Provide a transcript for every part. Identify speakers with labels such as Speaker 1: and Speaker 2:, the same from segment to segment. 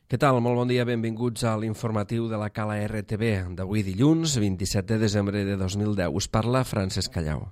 Speaker 1: Què tal? Molt bon dia, benvinguts a l'informatiu de la Cala RTV d'avui dilluns, 27 de desembre de 2010. Us parla Francesc Callau.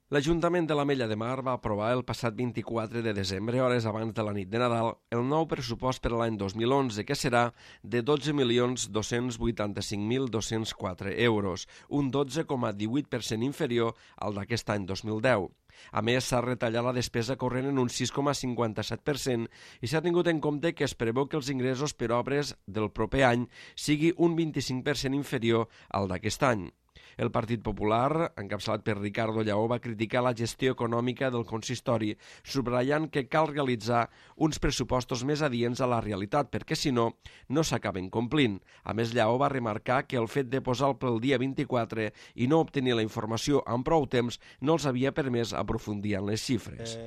Speaker 1: L'Ajuntament de l'Ametlla de Mar va aprovar el passat 24 de desembre, hores abans de la nit de Nadal, el nou pressupost per a l'any 2011, que serà de 12.285.204 euros, un 12,18% inferior al d'aquest any 2010. A més, s'ha retallat la despesa corrent en un 6,57% i s'ha tingut en compte que es preveu que els ingressos per obres del proper any sigui un 25% inferior al d'aquest any. El Partit Popular, encapçalat per Ricardo Lleó, va criticar la gestió econòmica del consistori, subratllant que cal realitzar uns pressupostos més adients a la realitat, perquè si no, no s'acaben complint. A més, Lleó va remarcar que el fet de posar el ple el dia 24 i no obtenir la informació amb prou temps no els havia permès aprofundir en les xifres.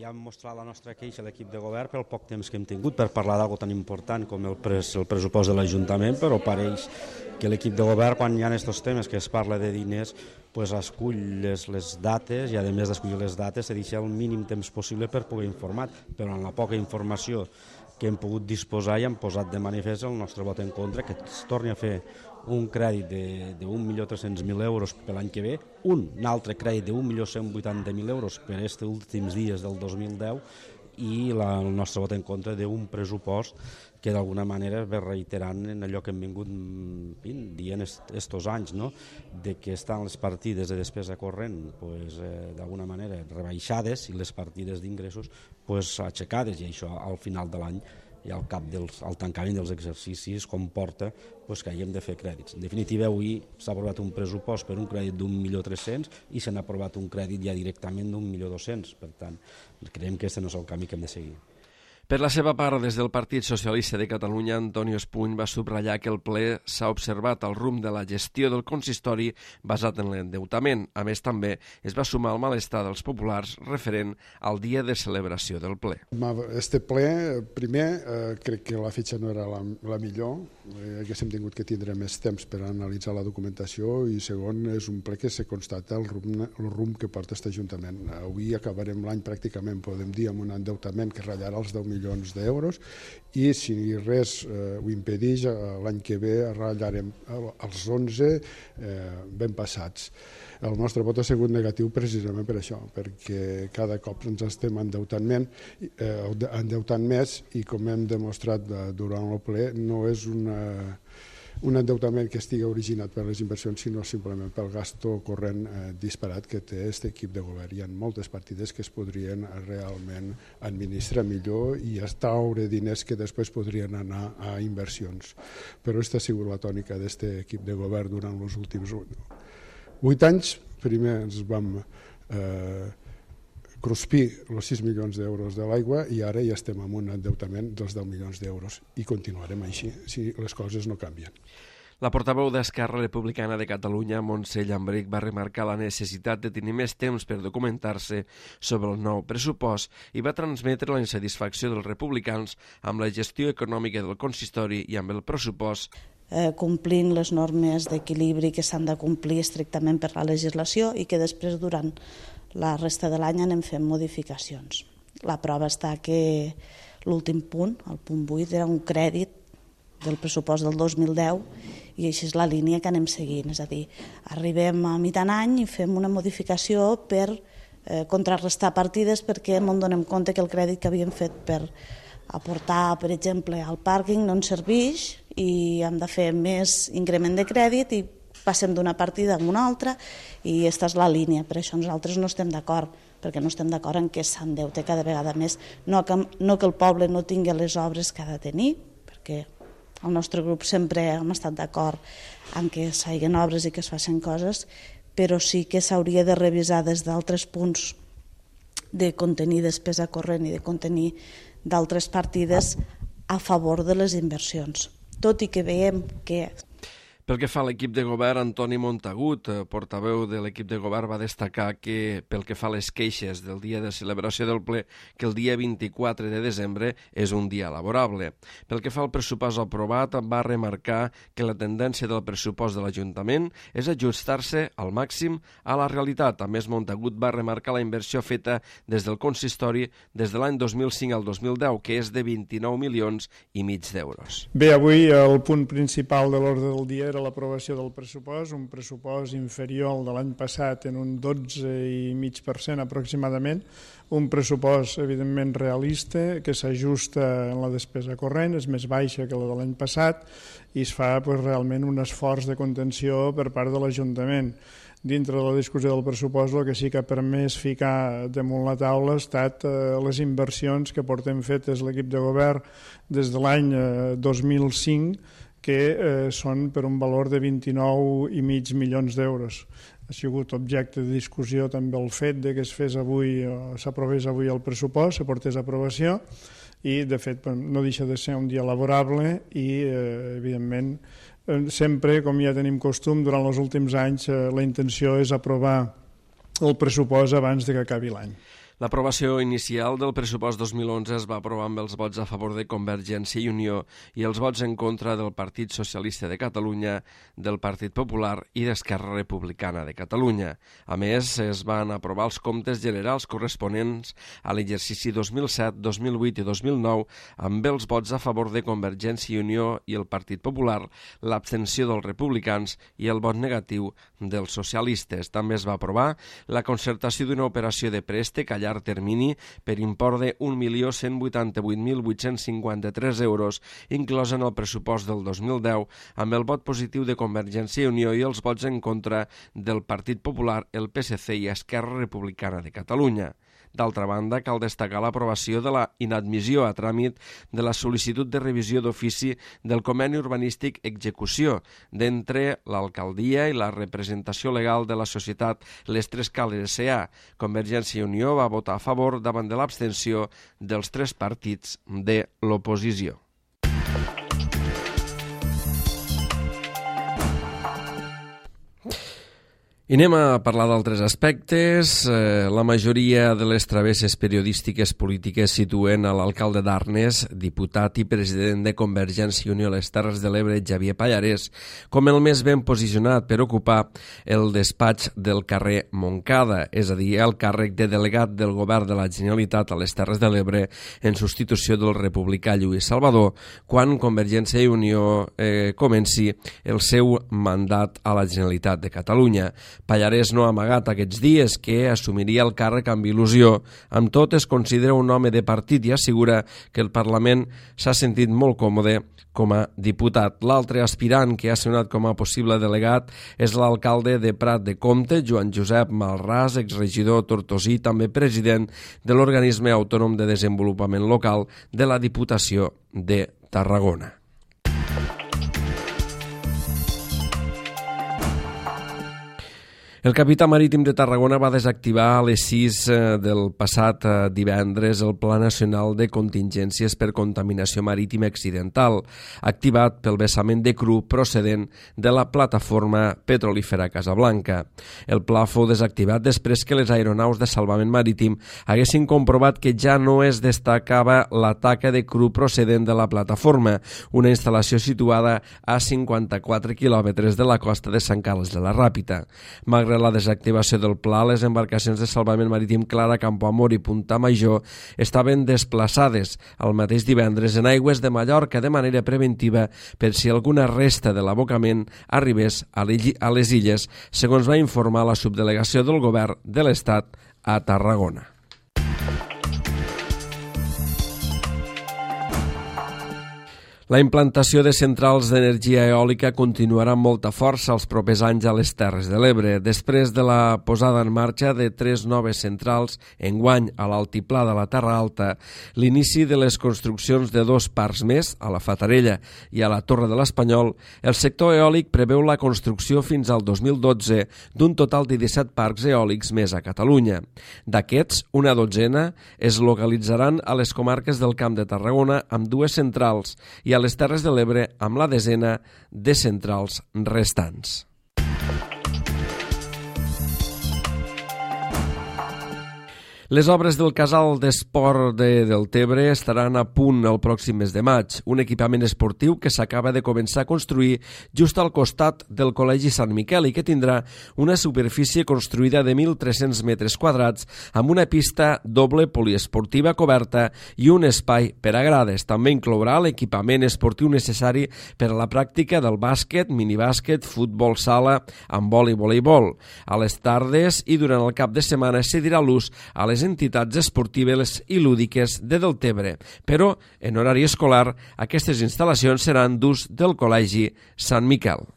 Speaker 2: Ja hem mostrat la nostra queixa a l'equip de govern pel poc temps que hem tingut per parlar d'algo tan important com el pressupost de l'Ajuntament, però pareix que l'equip de govern, quan hi ha aquests temes que es parla de diners, pues escull les dates i a més d'escollir les dates se deixa el mínim temps possible per poder informar, però en la poca informació que hem pogut disposar i hem posat de manifest el nostre vot en contra, que es torni a fer un crèdit de 1.300.000 euros per l'any que ve, un altre crèdit de 1.180.000 euros per aquests últims dies del 2010 i el nostre vot en contra d'un pressupost que d'alguna manera ve reiterant en allò que hem vingut dient estos anys, no? De que estan les partides de despesa corrent d'alguna manera rebaixades i les partides d'ingressos aixecades, i això al final de l'any i al tancament dels exercicis comporta que haguem de fer crèdits. En definitiva, avui s'ha aprovat un pressupost per un crèdit d'1.300.000 i se n'ha aprovat un crèdit ja directament d'1.200.000. Per tant, creiem que aquest no és el camí que hem de seguir.
Speaker 1: Per la seva part, des del Partit Socialista de Catalunya, Antonio Espuny va subratllar que el ple s'ha observat el rumb de la gestió del consistori basat en l'endeutament. A més, també es va sumar al malestar dels populars referent al dia de celebració del ple.
Speaker 3: Este ple, primer, crec que la fitxa no era la millor, haguéssim tingut que tindre més temps per analitzar la documentació, i segon, és un ple que se constata el rumb que porta aquest Ajuntament. Avui acabarem l'any pràcticament, podem dir, amb un endeutament que ratllarà els 10 milions d'euros, i si res ho impedeix, l'any que ve ratllarem els 11 ben passats. El nostre vot ha sigut negatiu precisament per això, perquè cada cop ens estem endeutant més, i com hem demostrat durant el ple, no és un endeutament que estigui originat per les inversions, sinó simplement pel gasto corrent disparat que té aquest equip de govern. Hi ha moltes partides que es podrien realment administrar millor i estalviar diners que després podrien anar a inversions. Però aquesta ha sigut la tònica d'aquest equip de govern durant els últims 8 anys. Primer ens vam cruspir els 6 milions d'euros de l'aigua i ara ja estem amb un endeutament dels 10 milions d'euros i continuarem així si les coses no canvien.
Speaker 1: La portaveu d'Esquerra Republicana de Catalunya, Montse Llambrich, va remarcar la necessitat de tenir més temps per documentar-se sobre el nou pressupost i va transmetre la insatisfacció dels republicans amb la gestió econòmica del consistori i amb el pressupost,
Speaker 4: complint les normes d'equilibri que s'han de complir estrictament per la legislació i que després durant la resta de l'any anem fent modificacions. La prova està que l'últim punt, el punt 8, era un crèdit del pressupost del 2010 i així és la línia que anem seguint. És a dir, arribem a mitjan any i fem una modificació per contrarrestar partides perquè ens donem compte que el crèdit que havíem fet per aportar, per exemple, al pàrquing no ens serveix i hem de fer més increment de crèdit i passem d'una partida a una altra, i aquesta és la línia. Per això nosaltres no estem d'acord, perquè no estem d'acord en que s'endeute cada vegada més, no que el poble no tingui les obres que ha de tenir, perquè el nostre grup sempre hem estat d'acord en que s'hagin obres i que es facin coses, però sí que s'hauria de revisar des d'altres punts de contenir despesa corrent i de contenir d'altres partides a favor de les inversions. Tot i que veiem que
Speaker 1: Pel que fa a l'equip de govern, Antoni Montagut, portaveu de l'equip de govern, va destacar que pel que fa a les queixes del dia de celebració del ple, que el dia 24 de desembre és un dia laborable. Pel que fa al pressupost aprovat, va remarcar que la tendència del pressupost de l'Ajuntament és ajustar-se al màxim a la realitat. A més, Montagut va remarcar la inversió feta des del consistori des de l'any 2005 al 2010, que és de 29 milions i mig d'euros.
Speaker 5: Bé, avui el punt principal de l'ordre del dia era l'aprovació del pressupost, un pressupost inferior al de l'any passat en un 12,5% aproximadament, un pressupost evidentment realista que s'ajusta en la despesa corrent, és més baixa que la de l'any passat i es fa realment un esforç de contenció per part de l'Ajuntament. Dintre de la discussió del pressupost el que sí que ha permès ficar damunt la taula ha estat les inversions que portem fetes l'equip de govern des de l'any 2005, que són per un valor de 29,5 milions d'euros. Ha sigut objecte de discussió també el fet de que s'aprovés avui el pressupost, s'aportés a aprovació i de fet no deixa de ser un dia laborable i evidentment sempre, com ja tenim costum, durant els últims anys la intenció és aprovar el pressupost abans de que acabi l'any.
Speaker 1: L'aprovació inicial del pressupost 2011 es va aprovar amb els vots a favor de Convergència i Unió i els vots en contra del Partit Socialista de Catalunya, del Partit Popular i d'Esquerra Republicana de Catalunya. A més, es van aprovar els comptes generals corresponents a l'exercici 2007, 2008 i 2009 amb els vots a favor de Convergència i Unió i el Partit Popular, l'abstenció dels republicans i el vot negatiu dels socialistes. També es va aprovar la concertació d'una operació de préstec a llarg termini per import de 1.188.853 euros, inclosa en el pressupost del 2010, amb el vot positiu de Convergència i Unió i els vots en contra del Partit Popular, el PSC i Esquerra Republicana de Catalunya. D'altra banda, cal destacar l'aprovació de la inadmissió a tràmit de la sol·licitud de revisió d'ofici del conveni urbanístic execució d'entre l'alcaldia i la representació legal de la societat Les Tres Cales S.A. Convergència i Unió va votar a favor davant de l'abstenció dels tres partits de l'oposició. I anem a parlar d'altres aspectes. La majoria de les travesses periodístiques polítiques situen a l'alcalde d'Arnes, diputat i president de Convergència i Unió a les Terres de l'Ebre, Xavier Pallarès, com el més ben posicionat per ocupar el despatx del carrer Montcada, és a dir, el càrrec de delegat del govern de la Generalitat a les Terres de l'Ebre en substitució del republicà Lluís Salvador, quan Convergència i Unió comenci el seu mandat a la Generalitat de Catalunya. Pallarès no ha amagat aquests dies que assumiria el càrrec amb il·lusió. Amb tot, es considera un home de partit i assegura que el Parlament s'ha sentit molt còmode com a diputat. L'altre aspirant que ha sonat com a possible delegat és l'alcalde de Prat de Comte, Joan Josep Malràs, exregidor tortosí, també president de l'Organisme Autònom de Desenvolupament Local de la Diputació de Tarragona. El capità marítim de Tarragona va desactivar a les 6 del passat divendres el Pla Nacional de Contingències per Contaminació Marítima Accidental, activat pel vessament de cru procedent de la plataforma petrolífera Casablanca. El pla fou desactivat després que les aeronaus de salvament marítim haguessin comprovat que ja no es destacava la taca de cru procedent de la plataforma, una instal·lació situada a 54 quilòmetres de la costa de Sant Carles de la Ràpita. Malgrat la desactivació del pla, les embarcacions de salvament marítim Clara, Campoamor i Punta Major estaven desplaçades el mateix divendres en aigües de Mallorca de manera preventiva per si alguna resta de l'abocament arribés a les illes, segons va informar la subdelegació del govern de l'Estat a Tarragona. La implantació de centrals d'energia eòlica continuarà amb molta força els propers anys a les Terres de l'Ebre. Després de la posada en marxa de 3 noves centrals, enguany a l'altiplà de la Terra Alta, l'inici de les construccions de 2 parcs més, a la Fatarella i a la Torre de l'Espanyol, el sector eòlic preveu la construcció fins al 2012 d'un total de 17 parcs eòlics més a Catalunya. D'aquests, una dotzena es localitzaran a les comarques del Camp de Tarragona amb 2 centrals i a a les Terres de l'Ebre amb la desena de centrals restants. Les obres del casal d'esport de Deltebre estaran a punt el pròxim mes de maig, un equipament esportiu que s'acaba de començar a construir just al costat del Col·legi Sant Miquel i que tindrà una superfície construïda de 1.300 metres quadrats amb una pista doble poliesportiva coberta i un espai per a grades. També inclourà l'equipament esportiu necessari per a la pràctica del bàsquet, minibàsquet, futbol sala, handbol i voleibol. A les tardes i durant el cap de setmana es cedirà l'ús a les entitats esportives i lúdiques de Deltebre, però en horari escolar aquestes instal·lacions seran d'ús del Col·legi Sant Miquel.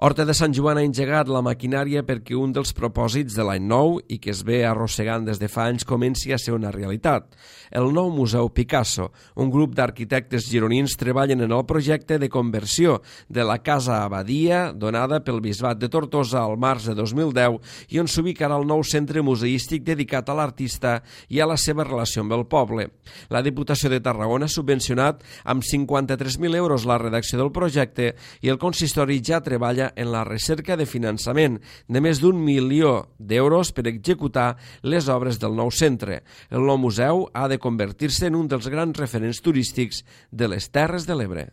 Speaker 1: Horta de Sant Joan ha engegat la maquinària perquè un dels propòsits de l'any nou i que es ve arrossegant des de fa anys comenci a ser una realitat. El nou Museu Picasso, un grup d'arquitectes gironins treballen en el projecte de conversió de la Casa Abadia donada pel Bisbat de Tortosa al març de 2010 i on s'ubicarà el nou centre museístic dedicat a l'artista i a la seva relació amb el poble. La Diputació de Tarragona ha subvencionat amb 53.000 euros la redacció del projecte i el consistori ja treballa en la recerca de finançament de més d'1 milió d'euros per executar les obres del nou centre. El nou museu ha de convertir-se en un dels grans referents turístics de les Terres de l'Ebre.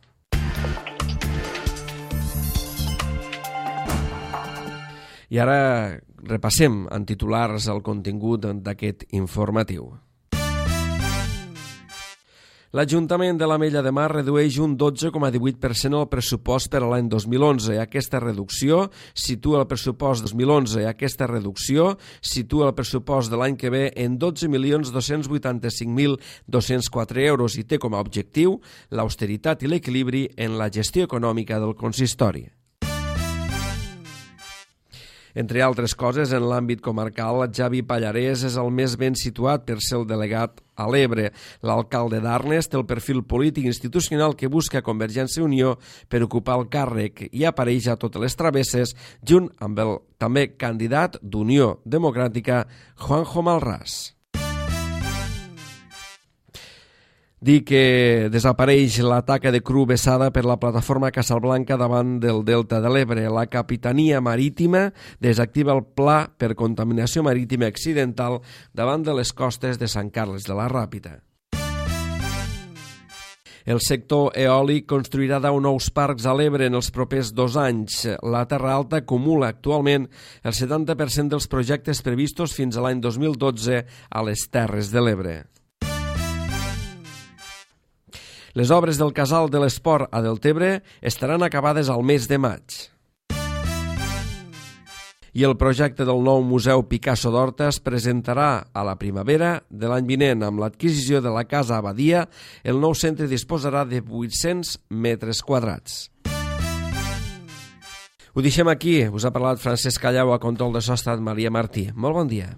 Speaker 1: I ara repassem en titulars el contingut d'aquest informatiu. L'Ajuntament de l'Ametlla de Mar redueix un 12,18% el pressupost per a l'any 2011. Aquesta reducció situa el pressupost 2011. Aquesta reducció situa el pressupost de l'any que ve en 12.285.204 euros i té com a objectiu l'austeritat i l'equilibri en la gestió econòmica del consistori. Entre altres coses, en l'àmbit comarcal, Javi Pallarès és el més ben situat per ser el delegat a l'Ebre. L'alcalde d'Arnes té el perfil polític institucional que busca Convergència i Unió per ocupar el càrrec i apareix a totes les travesses junt amb el també candidat d'Unió Democràtica, Juanjo Malràs. Dir que desapareix la taca de cru vessada per la plataforma Casablanca davant del Delta de l'Ebre. La Capitania Marítima desactiva el pla per contaminació marítima accidental davant de les costes de Sant Carles de la Ràpita. El sector eòlic construirà 10 nous parcs a l'Ebre en els propers 2 anys. La Terra Alta acumula actualment el 70% dels projectes previstos fins a l'any 2012 a les Terres de l'Ebre. Les obres del Casal de l'Esport a Deltebre estaran acabades al mes de maig. I el projecte del nou Museu Picasso d'Horta es presentarà a la primavera de l'any vinent. Amb l'adquisició de la Casa Abadia, el nou centre disposarà de 800 metres quadrats. Ho deixem aquí. Us ha parlat Francesc Callau, a control de so ha estat Maria Martí. Molt bon dia.